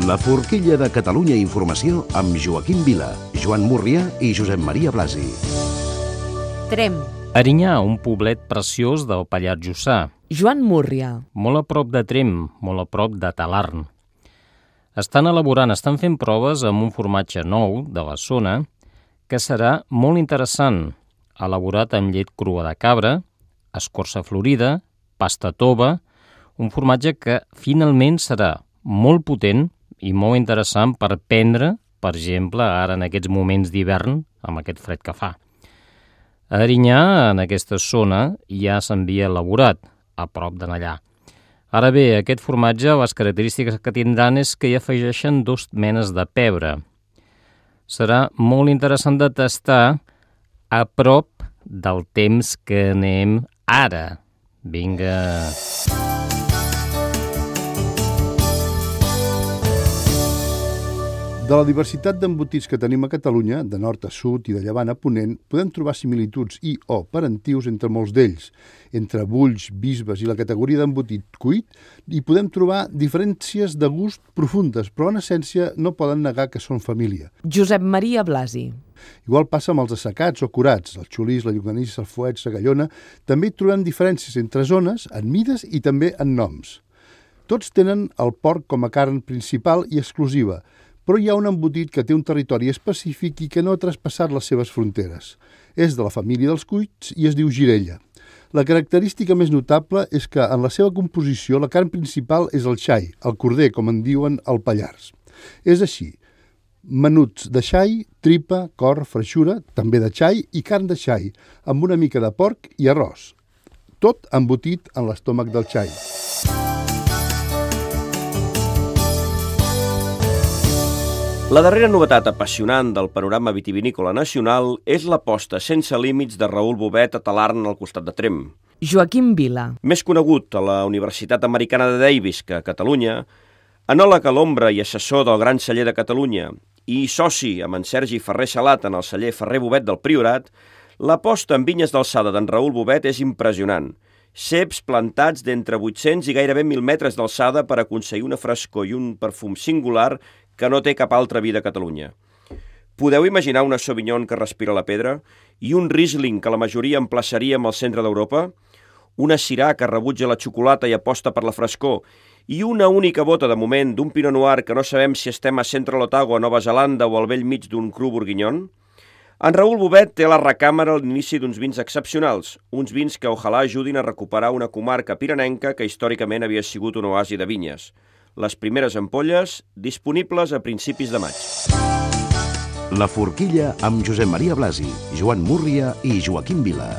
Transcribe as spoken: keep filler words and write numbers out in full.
La forquilla de Catalunya Informació amb Joaquim Vila, Joan Múrria i Josep Maria Blasi. Tremp. Erinyà, un poblet preciós del Pallars Jussà. Joan Múrria. Molt a prop de Tremp, molt a prop de Talarn. Estan elaborant, estan fent proves amb un formatge nou de la zona que serà molt interessant, elaborat amb llet crua de cabra, escorça florida, pasta tova, un formatge que finalment serà molt potent i molt interessant per prendre, per exemple, ara en aquests moments d'hivern, amb aquest fred que fa. A Erinyà, en aquesta zona, ja s'havia elaborat, a prop de allà. Ara bé, aquest formatge, les característiques que tindran és que hi afegeixen dos menes de pebre. Serà molt interessant de tastar a prop del temps que anem ara. Vinga! De la diversitat d'embotits que tenim a Catalunya, de nord a sud i de llevant a ponent, podem trobar similituds i o parentius entre molts d'ells. Entre bulls, bisbes i la categoria d'embotit cuit, hi podem trobar diferències de gust profundes, però en essència no poden negar que són família. Josep Maria Blasi. Igual passa amb els assecats o curats, el xulís, la llonganissa, el fuet, la gallona. També hi trobem diferències entre zones, en mides i també en noms. Tots tenen el porc com a carn principal i exclusiva, però hi ha un embotit que té un territori específic i que no ha traspassat les seves fronteres. És de la família dels cuits i es diu girella. La característica més notable és que en la seva composició la carn principal és el xai, el corder, com en diuen al Pallars. És així, menuts de xai, tripa, cor, freixura, també de xai i carn de xai, amb una mica de porc i arròs. Tot embotit en l'estómac del xai. La darrera novetat apassionant del panorama vitivinícola nacional és l'aposta sense límits de Raül Bobet a Talarn al costat de Tremp. Joaquim Vila. Més conegut a la Universitat Americana de Davis que a Catalunya, enòleg a l'ombra i assessor del Gran Celler de Catalunya i soci amb en Sergi Ferrer Salat en el celler Ferrer Bobet del Priorat, l'aposta en vinyes d'alçada d'en Raül Bobet és impressionant. Ceps plantats d'entre vuit-cents i gairebé mil metres d'alçada per aconseguir una frescor i un perfum singular que no té cap altra vi de Catalunya. Podeu imaginar una Sauvignon que respira la pedra i un Riesling que la majoria emplaçaríem al centre d'Europa? Una Syrah que rebutja la xocolata i aposta per la frescor i una única bota de moment d'un Pinot Noir que no sabem si estem a Central Otago, a Nova Zelanda o al vell mig d'un cru bourguignon? En Raül Bobet té a la recàmera l'inici d'uns vins excepcionals, uns vins que ojalà ajudin a recuperar una comarca pirenenca que històricament havia sigut un oasi de vinyes. Les primeres ampolles disponibles a principis de maig. La forquilla amb Josep Maria Blasi, Joan Múrria i Joaquim Vila.